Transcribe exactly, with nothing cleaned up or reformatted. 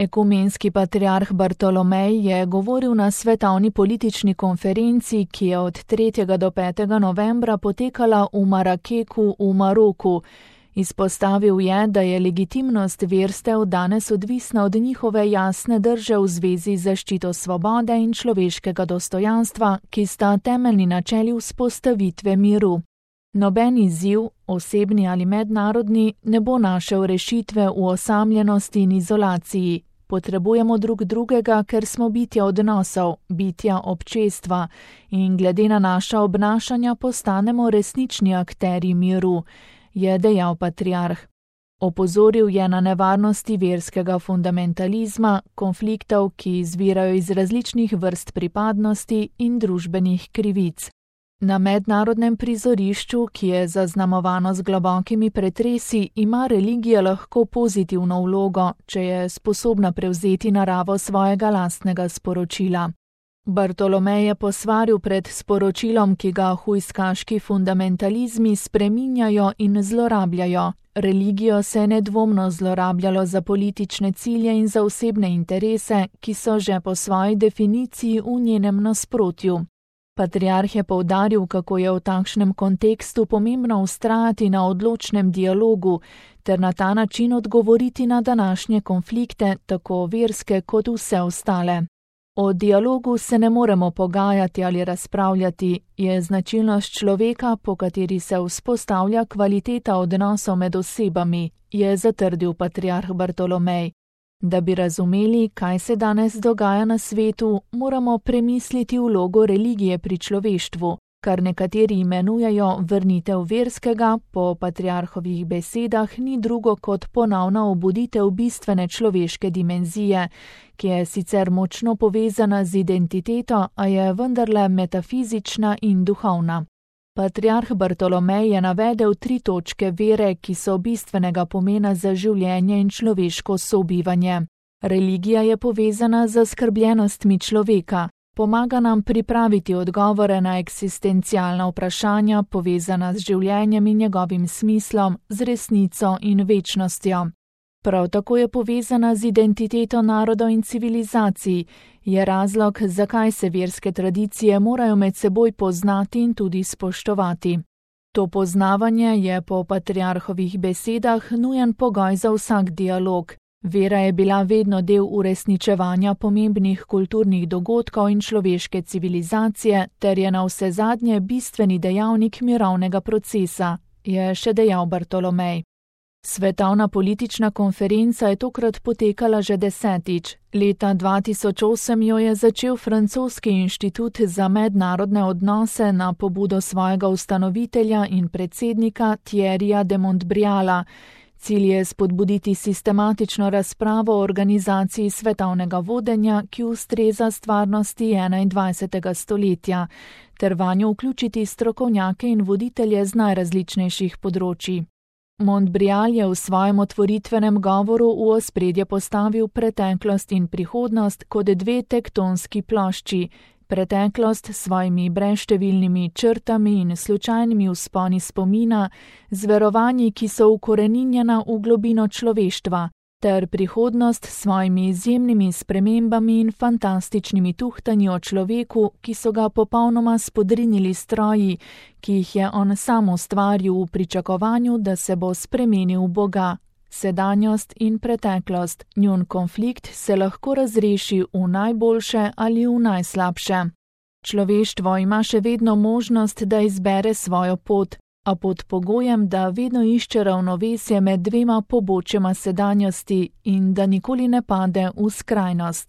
Ekumenski patriarh Bartolomej je govoril na svetovni politični konferenci, ki je od tretjega do petega novembra potekala v Marakeku v Maroku. Izpostavil je, da je legitimnost verstev danes odvisna od njihove jasne drže v zvezi z zaščito svobode in človeškega dostojanstva, ki sta temeljni načeli vzpostavitve miru. Noben izziv, osebni ali mednarodni, ne bo našel rešitve v osamljenosti in izolaciji. Potrebujemo drug drugega, ker smo bitja odnosov, bitja občestva in glede na naša obnašanja postanemo resnični akterji miru, je dejal patriarh. Opozoril je na nevarnosti verskega fundamentalizma, konfliktov, ki izvirajo iz različnih vrst pripadnosti in družbenih krivic. Na mednarodnem prizorišču, ki je zaznamovano z globokimi pretresi, ima religija lahko pozitivno vlogo, če je sposobna prevzeti naravo svojega lastnega sporočila. Bartolomej je posvaril pred sporočilom, ki ga hujskaški fundamentalizmi spreminjajo in zlorabljajo. Religijo se je nedvomno zlorabljalo za politične cilje in za osebne interese, ki so že po svoji definiciji v njenem nasprotju. Patriarh je poudaril, kako je v takšnem kontekstu pomembno vztrajati na odločnem dialogu ter na ta način odgovoriti na današnje konflikte, tako verske kot vse ostale. O dialogu se ne moremo pogajati ali razpravljati, je značilnost človeka, po kateri se vzpostavlja kvaliteta odnosov med osebami, je zatrdil patriarh Bartolomej. Da bi razumeli, kaj se danes dogaja na svetu, moramo premisliti vlogo religije pri človeštvu, kar nekateri imenujejo vrnitev verskega, po patriarhovih besedah ni drugo kot ponovna obuditev bistvene človeške dimenzije, ki je sicer močno povezana z identiteto, a je vendarle metafizična in duhovna. Patriarh Bartolomej je navedel tri točke vere, ki so bistvenega pomena za življenje in človeško sobivanje. Religija je povezana z zaskrbljenostmi človeka, pomaga nam pripraviti odgovore na eksistencialna vprašanja, povezana z življenjem in njegovim smislom, z resnico in večnostjo. Prav tako je povezana z identiteto narodov in civilizacij, je razlog, zakaj se verske tradicije morajo med seboj poznati in tudi spoštovati. To poznavanje je po patriarhovih besedah nujen pogoj za vsak dialog. Vera je bila vedno del uresničevanja pomembnih kulturnih dogodkov in človeške civilizacije ter je navsezadnje bistveni dejavnik mirovnega procesa, je še dejal Bartolomej. Svetovna politična konferenca je tokrat potekala že desetič. Leta dva tisoč osem jo je začel francoski inštitut za mednarodne odnose na pobudo svojega ustanovitelja in predsednika Thierryja de Montbriala. Cilj je spodbuditi sistematično razpravo o organizaciji svetovnega vodenja, ki ustreza stvarnosti enaindvajsetega stoletja, ter vanjo vključiti strokovnjake in voditelje z najrazličnejših področij. Montbrial je v svojem otvoritvenem govoru v ospredje postavil preteklost in prihodnost kot dve tektonski plošči, preteklost s svojimi brezštevilnimi črtami in slučajnimi vzponi spomina, z verovanji, ki so ukoreninjena v globino človeštva, ter prihodnost s svojimi izjemnimi spremembami in fantastičnimi tuhtanji o človeku, ki so ga popolnoma spodrinili stroji, ki jih je on sam ustvaril v pričakovanju, da se bo spremenil v Boga. Sedanjost in preteklost, njun konflikt se lahko razreši v najboljše ali v najslabše. Človeštvo ima še vedno možnost, da izbere svojo pot, a pod pogojem, da vedno išče ravnovesje med dvema pobočjema sedanjosti in da nikoli ne pade v skrajnost.